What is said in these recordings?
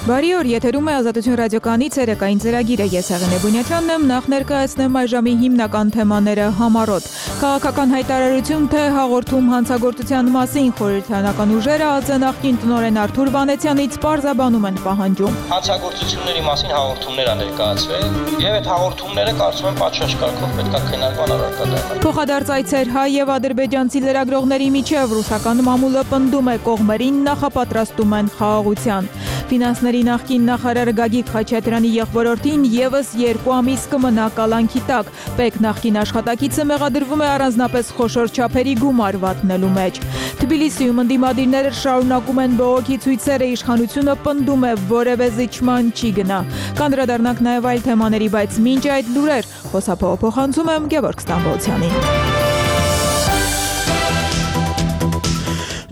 Բարի օր, եթերում է Ազատություն ռադիոկայանի ցերեկային ծրագիրը։ Ես Եղենե Բունյացյանն եմ, նախ ներկայացնեմ այս ժամի հիմնական թեմաները համառոտ։ Քաղաքական հայտարարություն թե հաղորդում հանցագործության մասին խորհրդարանական ուժերը ԱԾ նախկին տնօրեն Արթուր Վանեցյանից պարզաբանում են պահանջում։ Հանցագործությունների մասին հաղորդումներ ա ներկայացվել, եւ այդ հաղորդումները կարծում եմ պատշաճ կարգով պետք է քննարկման առարկա դառնան։ Փոխադարձ այցեր հայ եւ ադրբեջանցի լրագրողների միջև ռուսական մամուլը պնդում է կողմերին նախապատրաստում են խաղաղության։ Ֆինանսների նախկին նախարար Գագիկ Խաչատրյանի եղբորորդին եւս 2 ամիս կմնա կալանքի տակ։ ՊԵԿ նախկին աշխատակիցը մեղադրվում է առանձնապես խոշոր չափերի գումար վատնելու մեջ։ Թբիլիսիում ընդդիմադիրները շարունակում են բողոքի ցույցերը, իշխանությունը պնդում է որևէ զիջման չի գնա։ Կանդրադառնանք նաեւ այլ թեմաների, բայց մինչ այդ լուրեր խոսափողոցում եմ Գևորգ Ստամբոլցյանին։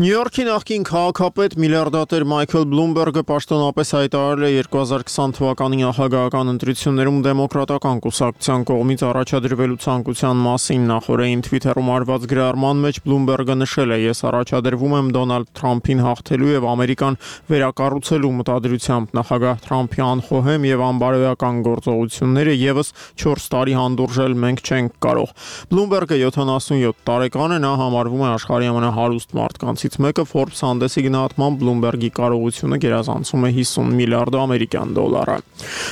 Նյու Յորքի նախկին քաղաքապետ միլիարդատեր Մայքլ Բլումբերգը պաշտոնապես հայտարարել է 2020 թվականի նախագահական ընտրություններում դեմոկրատական կուսակցության կողմից առաջադրվելու ցանկության մասին։ Նախորդին Twitter-ում արված գրառման մեջ Բլումբերգը նշել է. «Ես առաջադրվում եմ Դոնալդ Թրամփին հաղթելու եւ Ամերիկան վերակառուցելու մտադրությամբ։ Նախագահ Թրամփի անխոհեմ եւ անբարոյական գործողությունները եւս 4 տարի հանդուրժել մենք չենք կարող»։ Բլումբերգը 77 տարեկան է, նա համարվում է աշխարհի ամենահարուստ մարդկանցից մեկը։ Forbes հանդեսի գնահատմամբ Բլումբերգի կարողությունը գերազանցում է 50 միլիարդ ամերիկյան դոլարը։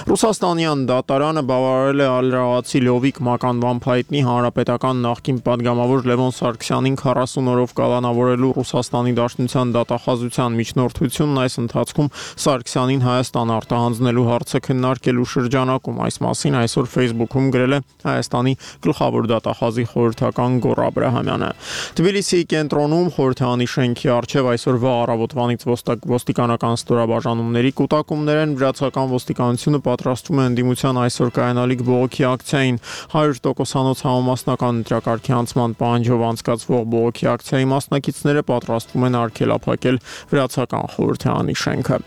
Ռուսաստանյան դատարանը բավարարել է ալրաղացի Լովիկ մականվամբ հայտնի հանրապետական նախկին падգամավոր Լևոն Սարգսյանին 40 օրով կալանավորելու Ռուսաստանի Դաշնության դատախազության միջնորդությունն այս ընթացքում Սարգսյանին Հայաստան արտահանձնելու հարցը քննարկելու շրջանակում։ Այս մասին այսօր Facebook-ում գրել է Հայաստանի գլխավոր դատախազի խորհրդական Գոռ Աբրահամյանը։ Թբիլիսիի կենտրոնում խորհրդանի շենքի առջև այսօրվա առավոտվանից ոստիկանական ստորաբաժանումների կուտակումներ են։ Վրացական ոստիկանությունը պատրաստվում է ընդդիմության այսօր կայանալիք բողոքի ակցիային։ 100%-անոց համամասնական ընտրակարգի անցման պահանջով անցկացվող բողոքի ակցիայի մասնակիցները պատրաստվում են արգելափակել Վրացական խորհրդարանի շենքը։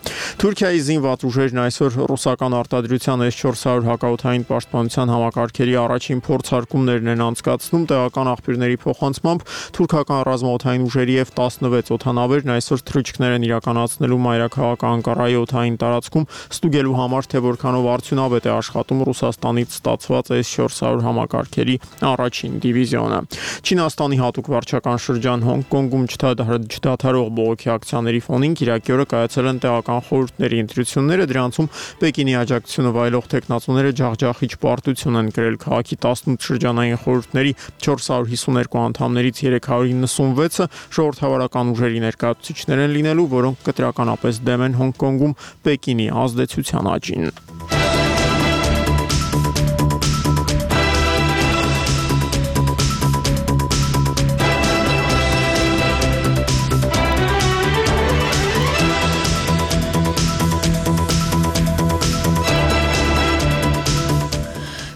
Թուրքիայի զինված ուժերն այսօր ռուսական արտադրության S-400 հակաօդային պաշտպանության համակարգերի առաջին փորձարկումներն են անցկացնում։ Տեղական աղբյուրների փոխանցմամբ թուրքական ռազմաօդային ուժերի եւ 16 օդանավերն այսօր թռիչքներ են իրականացնելու մայրաքաղաք Անկարայի օդային տարածքում, ստուգելու համար, թե որքանով արդյունավետ է աշխատում Ռուսաստանից ստացված S-400 համակարգերի առաջին դիվիզիոնը։ Չինաստանի հատուկ վարչական շրջան Հոնկոնգում չդադարող բողոքի ակցիաների ֆոնին Կիրակի օրը կայացել են տեղական խորհուրդների ընտրությունները։ Դրանցում Պեկինի աջակցությունը վայելող տեխնացուները ջախջախիչ պարտություն են կրել։ Քաղաքի 18 շրջանային խորհուրդների 452 անդամներից 396-ը ժողովրդավարական ուժերի ներկայացուցիչներ են լինելու, որոնք կտրականապես դեմ են Հոնկոնգում Պեկինի ազդեցության աճին։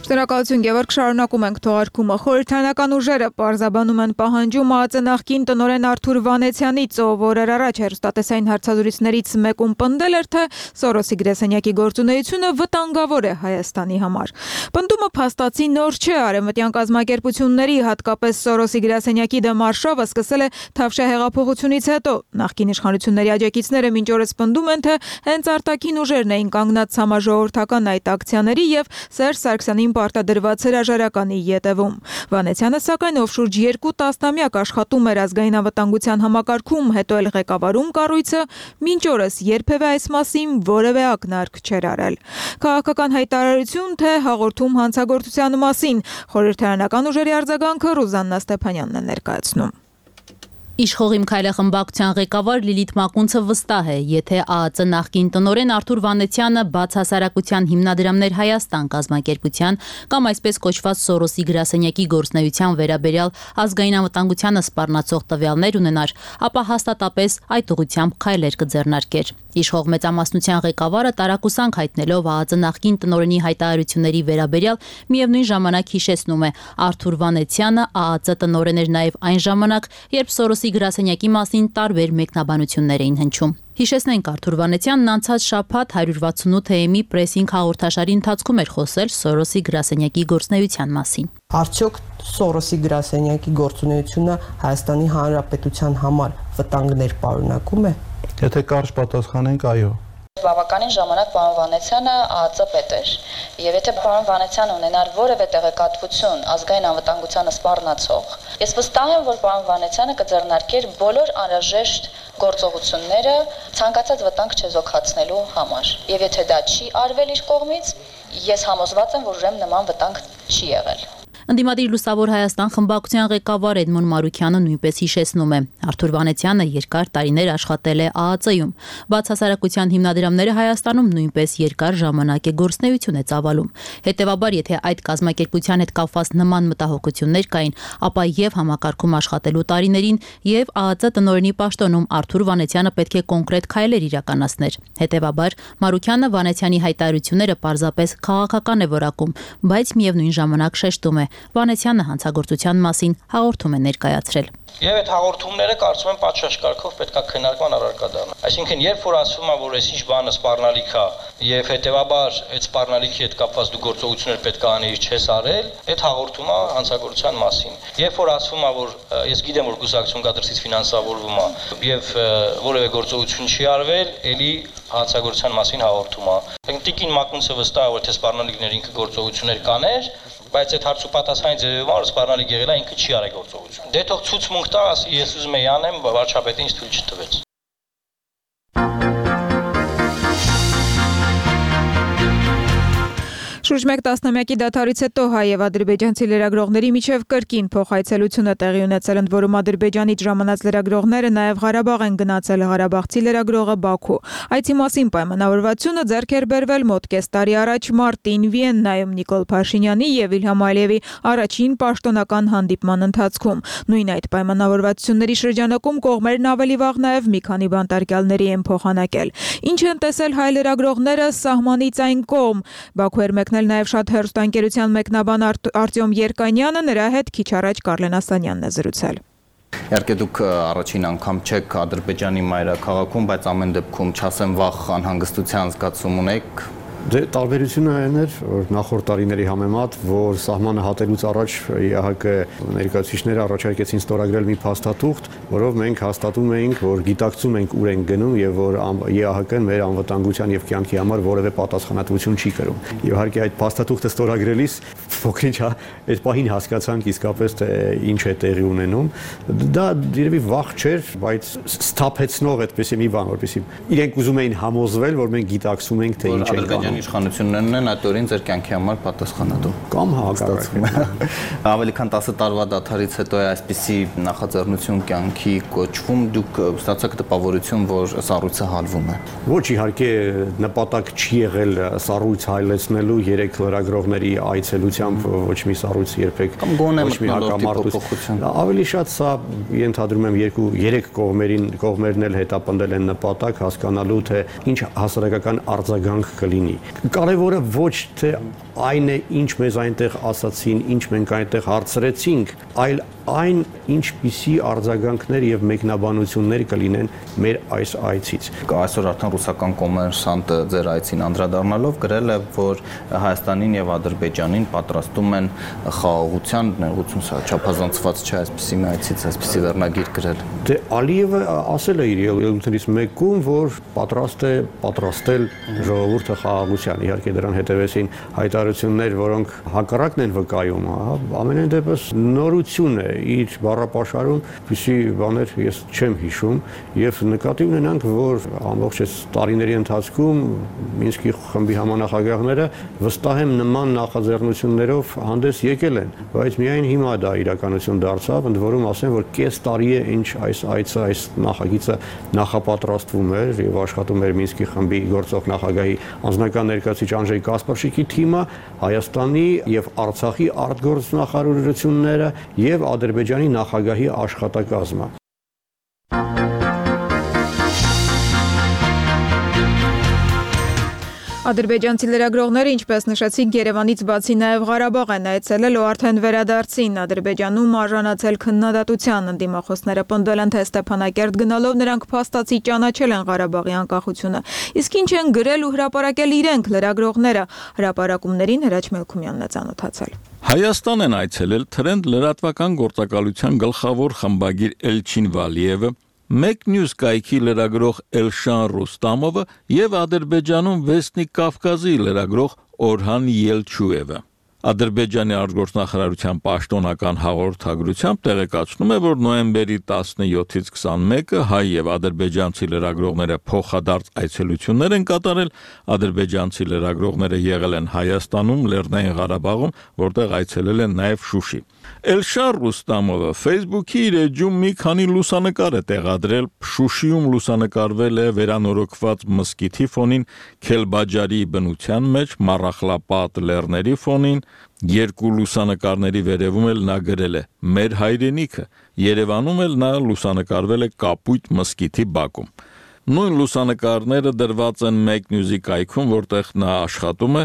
Շնորհակալություն Գևորգ, շարունակում ենք թողարկումը։ Խորհրդարանական ուժերը պարզաբանում են պահանջում ԱԾ նախկին տնօրեն Արթուր Վանեցյանից, ով օրեր առաջ հեռուստատեսային հարցազրույցներից մեկում պնդել էր, թե Սորոսի գրասենյակի գործունեությունը վտանգավոր է Հայաստանի համար։ Պնդումը փաստացի նոր չէ։ Արևմտյան կազմակերպությունների, հատկապես Սորոսի գրասենյակի դեմ արշավը սկսել է Թավշյա հեղափոխությունից հետո։ Նախկին իշխանությունների աջակիցները մինչ օրս պնդում են, թե հենց արտաքին ուժերն էին կանգնած համաժողովրդական այդ ակցիաների եւ Սերժ Սարգսյանին պարտադրված հրաժարականի ետևում։ Վանեցյանը սակայն ով շուրջ 2 տասնամյակ աշխատում էր ազգային անվտանգության համակարգում, հետո էլ ղեկավարում կառույցը, մինչ օրս երբևէ այս մասին որևէ ակնարկ չէր արել։ Քաղաքական հայտարարություն թե հաղորդում հանցագործության մասին խորհրդարանական ուժերի արձագանքը Ռուզաննա Ստեփանյանն է ներկայացնում։ Իշխող Քայլե խմբակցության ղեկավար Լիլիթ Մակունցը վստահ է, եթե ԱԱԾ նախկին տնօրեն Արթուր Վանեցյանը բաց հասարակության հիմնադրամներ Հայաստան կազմակերպության կամ այսպես կոչված Սորոսի գրասենյակի գործնեության վերաբերյալ ազգային անվտանգությանը սպառնացող տվյալներ ունենար, ապա հաստատապես այդ ուղղությամբ քայլեր կձեռնարկեր։ Իշխող մեծամասնության ղեկավարը տարակուսանք հայտնելով ԱԱԾ նախկին տնօրենի հայտարարությունների վերաբերյալ միևնույն ժամանակ հիշեցնում է Արթուր Վանեցյանը ԱԱԾ տնօրեն էր նաև այն ժամանակ, երբ Սորոսի գրասենյակի մասին տարբեր մեկնաբանություններ էին հնչում։ Հիշեցնենք, Արթուր Վանեցյանն անցած շաբաթ 168 AM-ի պրեսինգ հաղորդաշարի ընթացքում էր խոսել Սորոսի գրասենյակի գործունեության մասին։ Արդյոք Սորոսի գրասենյակի գործունեությունը Հայաստանի Հանրապետության համար վտանգներ պարունակում է։ Եթե կարճ պատասխանենք, այո։ Բավականին ժամանակ պարոն Վանեցյանը ԱԱԾ պետ էր, եւ եթե պարոն Վանեցյանը ունենար որևէ տեղեկատվություն ազգային անվտանգությանը սպառնացող, ես վստահ եմ, որ պարոն Վանեցյանը կձեռնարկեր բոլոր անհրաժեշտ գործողությունները ցանկացած վտանգ չեզոքացնելու համար։ Եվ եթե դա չի արվել իր կողմից, ես համոզված եմ, որ ուրեմն նման վտանգ չի եղել։ Ընդդիմադիր Լուսավոր Հայաստան խմբակցության ղեկավար Էդմոն Մարուքյանը նույնպես հիշեցնում է. Արթուր Վանեցյանը երկար տարիներ աշխատել է ԱԱԾ-ում։ Բաց հասարակության հիմնադրամները Հայաստանում նույնպես երկար ժամանակ է գործունեություն է ծավալում։ Հետևաբար, եթե այդ կազմակերպության հետ կապված նման մտահոգություններ կային, ապա եւ համակարգում աշխատելու տարիներին եւ ԱԱԾ տնօրենի պաշտոնում Արթուր Վանեցյանը պետք է կոնկրետ քայլեր իրականացներ։ Հետևաբար, Մարուքյանը Վանեցյանի հայտարարությունները պարզապես քաղաքական է որակում, բայց միևնույն ժամանակ շեշտում է. Վանեցյանը հանցագործության մասին հաղորդում է ներկայացրել։ Եվ այդ հաղորդումները կարծում եմ պատշաճ կարգով պետք է քննարկման առարկա դառնան։ Այսինքն, երբ որ ասվում է, որ այսինչ բանը սպառնալիք է, եւ հետեւաբար այդ սպառնալիքի հետ կապված դու գործողություններ պետք է անեիր, չես արել, այդ հաղորդումը հանցագործության մասին։ Երբ որ ասվում է, որ ես գիտեմ, որ կուսակցություն կադրսից ֆինանսավորվում է եւ որևէ գործողություն չի արվել, ելի հանցագործության մասին հաղորդում է։ Տիկին Մակունցը վստահ է, որ թե սպառնալիքներ ինքը գործողություններ կաներ, բայց այդ հարցու պատասխանի ձևով որ սպառնալիք եղել է, ինքը չի արել գործողություն։ Դե թող ցույց տա, ասի ես ուզում եի անեմ, վարչապետին ինձ թույլ չտվեց։ Շուրջ 1 տասնամյակի դադարից հետո հայ եւ ադրբեջանցի լրագրողների միջև կրկին փոխայցելություն է տեղի ունեցել, ընդ որում ադրբեջանից ժամանած լրագրողները նաեւ Ղարաբաղ են գնացել, ղարաբաղցի լրագրողը Բաքու։ Այցի մասին պայմանավորվածությունը ձեռք էր բերվել մոտ կես տարի առաջ մարտին Վիեննայում Նիկոլ Փաշինյանի եւ Իլհամ Ալիևի առաջին պաշտոնական հանդիպման ընթացքում։ Նույն այդ պայմանավորվածությունների շրջանակում կողմերն ավելի վաղ նաեւ մի քանի բանտարկյալների են փոխանակել։ Ինչ են տեսել հայ լրագրողները սահմանից այն կողմ։ Բաքու էր մեկնել նաև շատ հեռուստաընկերության մեկնաբան Արտյոմ Երկանյանը, նրա հետ քիչ առաջ Կարլեն Ասանյանն է զրուցել։ Իհարկե դուք առաջին անգամ չեք Ադրբեջանի մայրաքաղաքում, բայց ամեն դեպքում չասեմ վախ անհանգստության զգացում ունեք։ Դե տարբերությունը այն էր, որ նախորդ տարիների համեմատ, որ սահմանը հատելուց առաջ ԵԱՀԿ ներկայացուցիչները առաջարկեցին ստորագրել մի փաստաթուղթ, որով մենք հաստատում էինք, որ գիտակցում ենք ուր ենք գնում եւ որ ԵԱՀԿ-ն մեր անվտանգության եւ կյանքի համար որևէ պատասխանատվություն չի կրում։ Եվ իհարկե այդ փաստաթուղթը ստորագրելիս փոքրինչ այդ պահին հասկացանք իսկապես թե ինչ է տեղի ունենում։ Դա երևի վախ չէր, բայց սթափեցնող այդպեսի մի բան, որպեսզի իրենք ուզում էին համոզվել, որ մենք գիտակցում ենք թե ինչ ենք անում։ Իշխանություններն են այդ օրին ձեր կյանքի համար պատասխանատու կամ հակառակը։ Ավելի քան 10 տարվա դադարից հետո է այսպիսի նախաձեռնություն կյանքի կոչվում, դուք ստացաք տպավորություն, որ սառույցը հալվում է։ Ոչ, իհարկե նպատակ չի եղել սառույց հայլեցնելու 3 լրագրողների այցելությամբ ոչ մի սառույց երբեք ոչ մի հակամարտություն։ Ավելի շատ սա ենթադրում եմ 2-3 կողմերն էլ հետապնդել են նպատակ հասկանալու թե ինչ հասարակական արձագանք կլինի։ Կարևորը ոչ թե այն է, ինչ մեզ այնտեղ ասացին, ինչ մենք այնտեղ հարցրեցինք, այլ այն ինչպիսի արձագանքներ եւ մեկնաբանություններ կլինեն մեր այս այցից։ Այսօր արդեն ռուսական կոմերսանտը ձեր այցին անդրադառնալով գրել է, որ Հայաստանին եւ Ադրբեջանին պատրաստում են խաղաղության ներողություն, սա չափազանցված չէ այսպիսի մի այցից այսպիսի վերնագիր գրել։ Դե Ալիևը ասել է իր ելույթներից մեկում, որ պատրաստ է պատրաստել ժողովուրդը խաղաղության։ Իհարկե դրան հետևեցին հայտարարություններ, որոնք հակառակն են վկայում, ամենայն դեպս նորություն է իր բառապաշարում, որպեսզի բաներ ես չեմ հիշում եւ նկատի ունենանք, որ ամբողջ այս տարիների ընթացքում Մինսկի խմբի համանախագահները վստահ եմ նման նախաձեռնություններով հանդես եկել են, բայց միայն հիմա դա իրականություն դարձավ, ընդ որում ասեմ, որ կես տարի է ինչ այս այցը, այս նախագիծը նախապատրաստվում էր եւ աշխատում էր Մինսկի խմբի գործող նախագահի անձնական ներկայացուցիչ Անժեյ Կասպարշիկի թիմը, Հայաստանի եւ Արցախի արտգործնախարարությունները եւ Ադրբեջանի նախագահի աշխատակազմը։ Ադրբեջանցի լրագրողները, ինչպես նշեցիք, Երևանից բացի նաև Ղարաբաղ են այցելել ու արդեն վերադարձին Ադրբեջանում արժանացել քննադատության։ Ընդդիմախոսները պնդել են, թե Ստեփանակերտ գնալով նրանք փաստացի ճանաչել են Ղարաբաղի անկախությունը։ Իսկ ինչ են գրել ու հրապարակել իրենք լրագրողները, հրապարակումներին Հրաչ Մելքումյանն է ծանոթացել։ Հայաստան են այցելել Թրենդ լրատվական գործակալության գլխավոր խմբագիր Էլչին Վալիևը, Մեկ News կայքի լրագրող Էլշան Ռուստամովը եւ Ադրբեջանում Վեսնիկ Կավկազի լրագրող Օրհան Ելչուևը։ Ադրբեջանի արտգործնախարարության պաշտոնական հաղորդագրությամբ տեղեկացնում է, որ նոյեմբերի 17-ից 21-ը հայ եւ ադրբեջանցի լրագրողները փոխադարձ այցելություններ են կատարել, ադրբեջանցի լրագրողները եղել են Հայաստանում, Լեռնային Ղարաբաղում, որտեղ այցելել են նաեւ Շուշի։ Էլշար Ռուստամովը Facebook-ի իր էջում մի քանի լուսանկար է տեղադրել Շուշիում լուսանկարվել է վերանորոգված մզկիթի ֆոնին, Քելբաջարի բնության մեջ, Մարախլապատ լեռների ֆոնին, երկու լուսանկարների վերևում էլ նա գրել է «Մեր հայրենիքը», Երևանում էլ նա լուսանկարվել է Կապույտ մզկիթի բակում։ Նույն լուսանկարները դրված են Մեկ News-ի կայքում, որտեղ նա աշխատում է,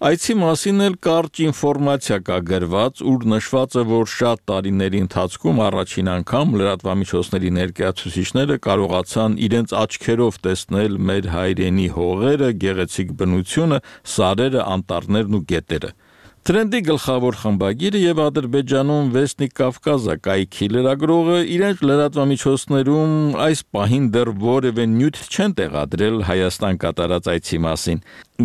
այցի մասին էլ կարճ ինֆորմացիա կա գրված, ուր նշված է, որ շատ տարիների ընթացքում առաջին անգամ լրատվամիջոցների ներկայացուցիչները կարողացան իրենց աչքերով տեսնել մեր հայրենի հողերը, գեղեցիկ բնությունը, սարերը, անտառներն ու գետերը։ Տրենդի գլխավոր խմբագիրը եւ Ադրբեջանում Վեսնիկ Կավկազը կայքի լրագրողը իրենց լրատվամիջոցներում այս պահին դեռ որևէ նյութ չեն տեղադրել Հայաստան կատարած այցի մասին։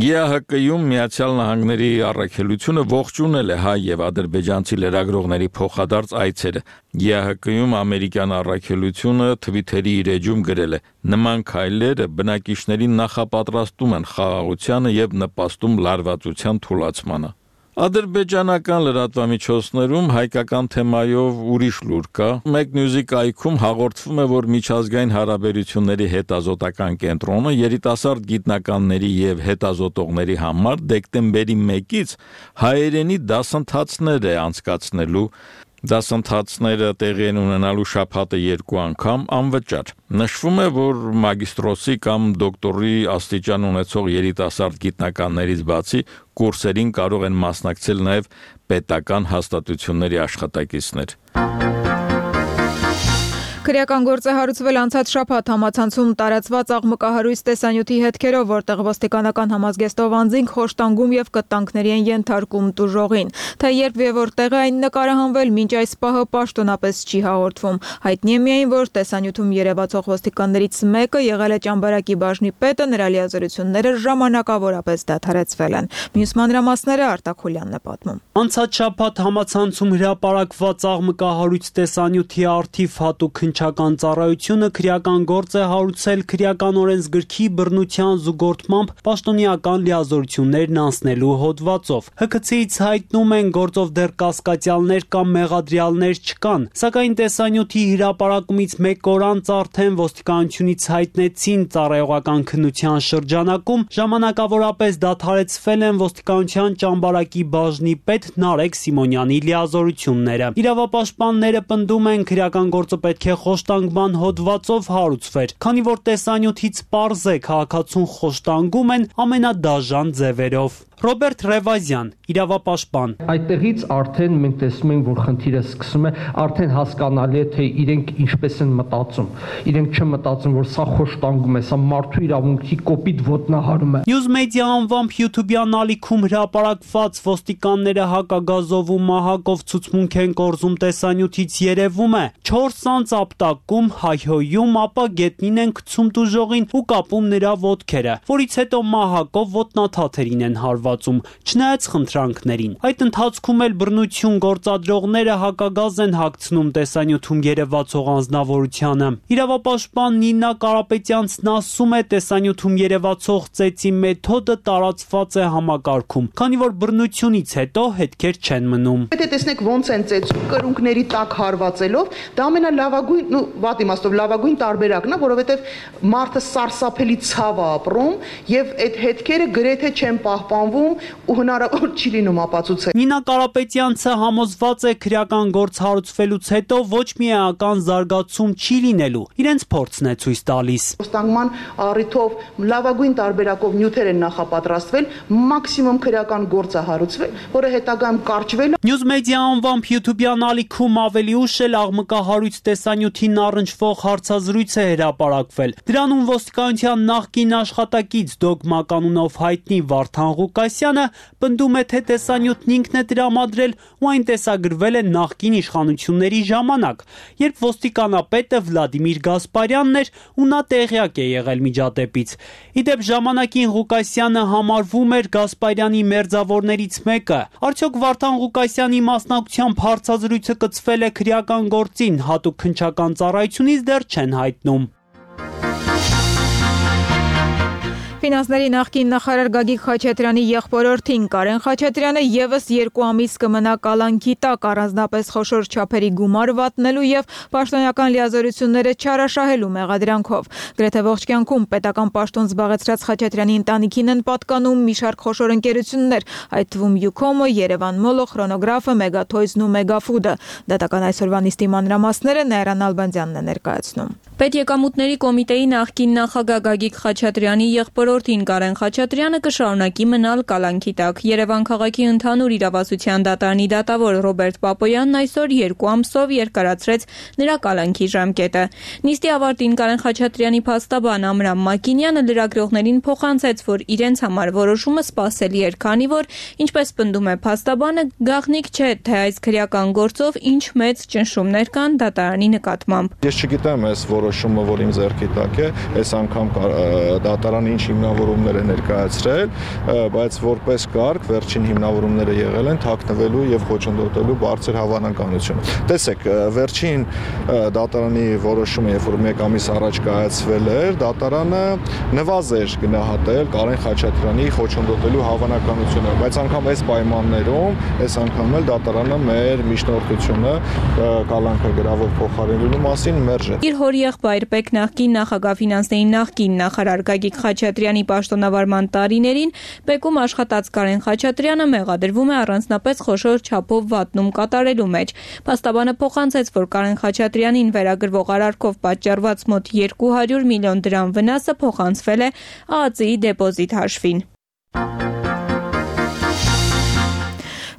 ԵԱՀԿ-ում Միացյալ Նահանգների առաքելությունը ողջունել է հայ եւ ադրբեջանցի լրագրողների փոխադարձ այցերը։ ԵԱՀԿ-ում ամերիկյան առաքելությունը Twitter-ի իր էջում գրել է. «Նման քայլերը բնակիչներին նախապատրաստում են խաղաղությանը եւ նպաստում լարվածության թուլացմանը»։ Ադրբեջանական լրատվամիջոցներում հայկական թեմայով ուրիշ լուր կա։ Մեկ News-ի կայքում հաղորդվում է, որ միջազգային հարաբերությունների հետազոտական կենտրոնը երիտասարդ գիտնականների եւ հետազոտողների համար դեկտեմբերի 1-ից հայերենի դասընթացներ է անցկացնելու։ Դասընթացները տեղի են ունենալու շաբաթը 2 անգամ անվճար։ Նշվում է, որ մագիստրոսի կամ դոկտորի աստիճան ունեցող երիտասարդ գիտնականներից բացի կուրսերին կարող են մասնակցել նաև պետական հաստատությունների աշխատակիցներ։ Քրեական գործ է հարուցվել անցած շաբաթ համացանցում տարածված աղմկահարույց տեսանյութի հետքերով, որտեղ ոստիկանական համազգեստով անձինք խոշտանգում եւ կտանքների են ենթարկում տուժողին։ Թե երբ եւ որտեղ է այն նկարահանվել, մինչ այս պահը պաշտոնապես չի հաղորդվում։ Հայտնի է միայն, որ տեսանյութում երևացող ոստիկաններից մեկը եղել է Ճամբարակի բաժնի պետը, նրա լիազորությունները ժամանակավորապես դադարեցվել են։ Մյուս մանրամասները Արտակ Խուլյանն է պատմում։ Անցած շաբաթ համացանցում հրապարակված աղմկահարույց տեսանյութի արդիվ հատուկ Քննչական ծառայությունը քրեական գործ է հարուցել քրեական օրենսգրքի բռնության զուգորդմամբ պաշտոնեական լիազորություններն անցնելու հոդվածով։ ՀՔՑ-ից հայտնում են գործով դեռ կասկածյալներ կամ մեղադրյալներ չկան, սակայն տեսանյութի հրապարակումից 1 օր անց արդեն ոստիկանությունից հայտնեցին ծառայողական քննության շրջանակում ժամանակավորապես դադարեցվել են ոստիկանության Ճամբարակի բաժնի պետ Նարեկ Սիմոնյանի լիազորությունները։ Իրավապաշտպանները պնդում են քրեական գործը պետք է խոշտանգման հոդվածով հարուցվեր, քանի որ տեսանյութից պարզ է քաղաքացուն խոշտանգում են ամենադաժան ձևերով։ Ռոբերտ Ռևազյան, իրավապաշտպան։ Այդտեղից արդեն մենք տեսնում ենք, որ խնդիրը սկսում է, արդեն հասկանալի է, թե իրենք ինչպես են մտածում։ Իրենք չմտածում, որ սա խոշտանգում է, սա մարդու իրավունքի կոպիտ ոտնահարում է։ News Media անվամբ YouTube-յան ալիքում հրապարակված ոստիկանները հակագազով ու մահակով ցուցմունք են կորզում տեսանյութից երևում է 4 անց ապտակում, հայհոյում, ապա գետնին են գցում տուժողին ու կապում նրա ոտքերը, որից հետո մահակով ոտնաթաթերին են հարվածում, չնայած խնդրանքներին։ Այդ ընթացքում էլ բռնություն գործադրողները հակագազ են հագցնում տեսանյութում երևացող անձնավորությանը։ Իրավապաշտպան Նինա Կարապետյանցն ասում է, տեսանյութում երևացող ծեծի մեթոդը տարածված է համակարգում, քանի որ բռնությունից հետո հետքեր չեն մնում։ Եթե տեսնեք ոնց են ծեծում կրունկների տակ հարվածելով, դա ամենալավագույն, վատ իմաստով լավագույն տարբերակն է, որովհետև մարդը սարսափելի ցավ է ապրում եւ այդ հետքերը գրեթե չեն պահպանվում ու հնարավոր չի լինում ապացուցել։ Նինա Կարապետյանցը համոզված է քրեական գործ հարուցվելուց հետո ոչ մի էական զարգացում չի լինելու։ Իրենց փորձն է ցույց տալիս։ Ոստանգման առիթով լավագույն տարբերակով նյութեր են նախապատրաստվել, մաքսիմում քրեական գործ է հարուցվել, որը հետագայում կարճվել է։ News Media անվամբ YouTube-յան ալիքում ավելի ուշ էլ աղմկահարույց տեսանյութին առնչվող հարցազրույց է հրապարակվել։ Դրանում ոստիկանության նախկին աշխատակից Դոգմա կանունով հայտնի Վարդան Ղուկասյանը պնդում է, թե տեսանյութն ինքն է տրամադրել ու այն տեսագրվել է նախկին իշխանությունների ժամանակ, երբ ոստիկանապետը Վլադիմիր Գասպարյանն էր ու նա տեղյակ է եղել միջադեպից։ Իդեպ ժամանակին Ղուկասյանը համարվում էր Գասպարյանի մերձավորներից մեկը։ Արդյոք Վարդան Ղուկասյանի մասնակցությամբ հարցազրույցը կցվել է քրեական գործին, հատուկ քննչական ծառայությունից դեռ չեն հայտնում։ Ֆինանսների նախկին նախարար Գագիկ Խաչատրյանի եղբորորդին Կարեն Խաչատրյանը եւս 2 ամիս կմնա կալանքի տակ առանձնապես խոշոր չափերի գումար վատնելու եւ պաշտոնական լիազորությունները չարաշահելու մեղադրանքով։ Գրեթե ողջ կյանքում պետական պաշտոն զբաղեցրած Խաչատրյանի ընտանիքին են պատկանում մի շարք խոշոր ընկերություններ, այդ թվում Յուքոմը, Երևան Մոլը, Խրոնոգրաֆը, Մեգաթոյզն ու Մեգաֆուդը։ Դատական այսօրվա նիստի մանրամասները Նայրան Ալբանդյանն է ներկայացնում։ Պետեկամուտների կոմիտեի նախկին նախագահ Գագիկ Խաչատրյանի եղբորորդին Կարեն Խաչատրյանը կշարունակի մնալ կալանքի տակ։ Երևան քաղաքի ընդհանուր իրավասության դատարանի դատավոր Ռոբերտ Պապոյանն այսօր 2 ամսով երկարացրեց նրա կալանքի ժամկետը։ Նիստի ավարտին Կարեն Խաչատրյանի փաստաբան Ամրամ Մակինյանը լրագրողներին փոխանցեց, որ իրենց համար որոշումը սպասելի էր, քանի որ, ինչպես պնդում է փաստաբանը, գաղտնիք չէ, թե այս քրեական գործով ինչ մեծ ճնշումներ կան դատարանի նկատմամբ։ Ես չգիտեմ այս որոշումը, որ իմ ձեռքի տակ է, այս անգամ դատարանը ինչ հիմնավորումներ է ներկայացրել, բայց որպես կարգ վերջին հիմնավորումները եղել են թաքնվելու եւ խոչընդոտելու բարձր հավանականությունը։ Տեսեք, վերջին դատարանի որոշումը, երբ որ 1 ամիս առաջ կայացվել էր, դատարանը նվազեր գնահատել Կարեն Խաչատրյանի խոչընդոտելու հավանականությունը, բայց անգամ այս պայմաններում, այս անգամ էլ դատարանը մեր միջնորդությունը կալանքը գրավով փոխարինելու մասին մերժեց։ Իր հոր եղբայր Պեկ նախկին նախագահ ֆինանսների նախկին նախարար Գագիկ Խաչատրյանի պաշտոնավարման տարիներին Պեկում աշխատած Կարեն Խաչատրյանը մեղադրվում է առանձնապես խոշոր չափով վատնում կատարելու մեջ։ Փաստաբանը փոխանցեց, որ Կարեն Խաչատրյանին վերագրվող արարքով պատճառված մոտ 200 միլիոն դրամ վնասը փոխանցվել է ԱԱԾ-ի դեպոզիտ հաշվին։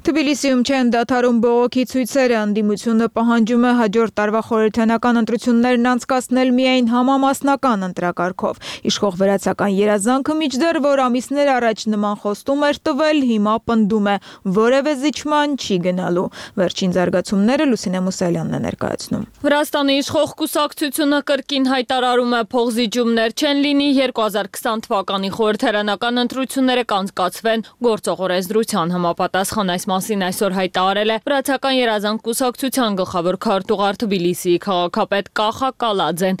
Թբիլիսիում չեն դադարում բողոքի ցույցերը, ընդդիմությունը պահանջում է հաջորդ տարվա խորհրդանական ընտրություններն անցկացնել միայն համամասնական ընտրակարգով։ Իշխող վերացական երազանքը մինչդեռ, որ ամիսներ առաջ նման խոստում էր տվել, հիմա պնդում է, որևէ զիջման չի գնալու։ Վերջին զարգացումները Լուսինե Մուսալյանն է ներկայացնում։ Վրաստանի իշխող կուսակցությունը կրկին հայտարարում է փոխզիջումներ չեն լինի, 2020 թվականի խորհրդարանական ընտրությունները կանցկացվեն գործող օրենսդրության համապատասխան այս մասին այսօր հայտարարել է Վրացական երազանք կուսակցության գլխավոր քարտուղար Թբիլիսիի քաղաքապետ Կախա Կալաձեն։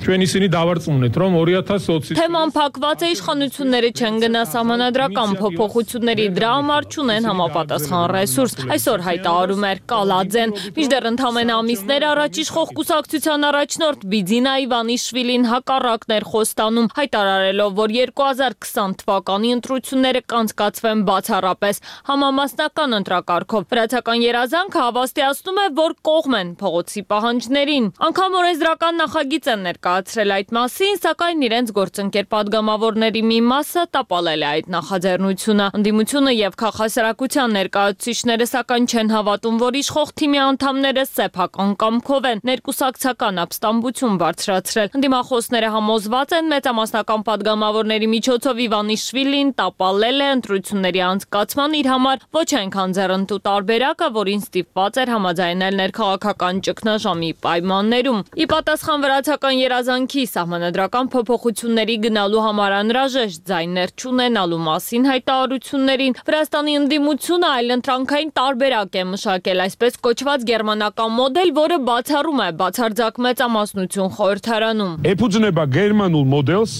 Թեման փակված է, իշխանությունները չեն գնա սահմանադրական փոփոխությունների, դրա համար չունեն համապատասխան ռեսուրս, այսօր հայտարարում էր Կալաձեն։ Մինչդեռ ընդամենը ամիսներ առաջ իշխող կուսակցության առաջնորդ Բիձինա Իվանիշվիլին հակառակն էր խոստանում, հայտարարելով, որ 2020 թվականի ընտրությունները կանցկացվեն բացառապես համամասնական ընտրակարգով։ Վրացական երազանքը հավաստիացնում է, որ կողմ են փողոցի պահանջներին։ Անգամ օրենսդրական նախագիծ են ներկայացրել այդ մասին, սակայն իրենց գործընկեր падգամավորների մի մասը տապալել է այդ նախաձեռնությունը։ Ընդդիմությունը եւ քաղաքասարակության ներկայացուցիչները սակայն չեն հավատում, որ իշխող թիմի անդամները սեփական կամքով են ներկուսակցական ապստամբություն բարձրացրել։ Ընդդիմախոսները համոզված են մեծամասնական падգամավորների միջոցով Իվանիշվիլին տապալել է ընտրությունների անցկացման իր համար ոչ այնքան ձեռնտու տարբերակը, որին ստիպված էր համաձայնել ներքաղաքական ճգնաժամի պայմաններում։ Ի պատասխան վրացական երազանքի սահմանադրական փոփոխությունների գնալու համար անհրաժեշտ ձայներ չունենալու մասին հայտարարություններին, Վրաստանի ընդդիմությունը այլընտրանքային տարբերակ է մշակել, այսպես կոչված գերմանական մոդել, որը բացառում է բացարձակ մեծամասնություն խորհրդարանում։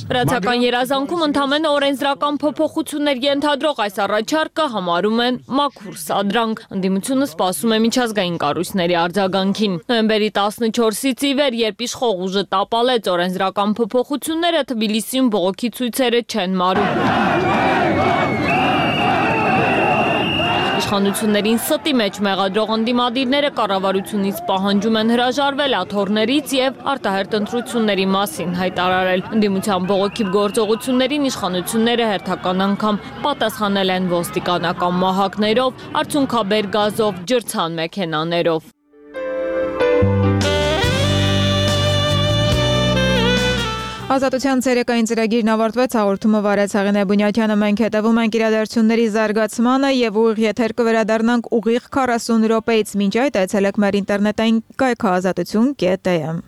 Վրացական երազանքում ընդամենը օրենսդրական փոփոխություններ ենթադրող այս առաջարկը համարում են մաքուր սադրանք։ Ընդդիմությունը սպասում է միջազգային կառույցների արձագանքին։ Նոյեմբերի 14-ից ի վեր, երբ իշխող ուժը տապալեց օրենսդրական փոփոխությունները, Թբիլիսիում բողոքի ցույցերը չեն մարում։ Իշխանություններին ստի մեջ մեղադրող ընդդիմադիրները կառավարությունից պահանջում են հրաժարվել աթոռներից եւ արտահերթ ընտրությունների մասին հայտարարել։ Ընդդիմության բողոքի գործողություններին իշխանությունները հերթական անգամ պատասխանել են ոստիկանական մահակներով, արցունքաբեր գազով, ջրցան մեքենաներով։ Ազատության ցերեկային ծրագիրն ավարտվեց, հաղորդումը վարեց Հեղինե Բունյակյանը, մենք հետևում ենք իրադարձությունների զարգացմանը եւ ուղիղ եթեր կվերադառնանք ուղիղ 40 րոպեից, մինչ այդ այցելեք մեր ինտերնետային կայքը azatutun.am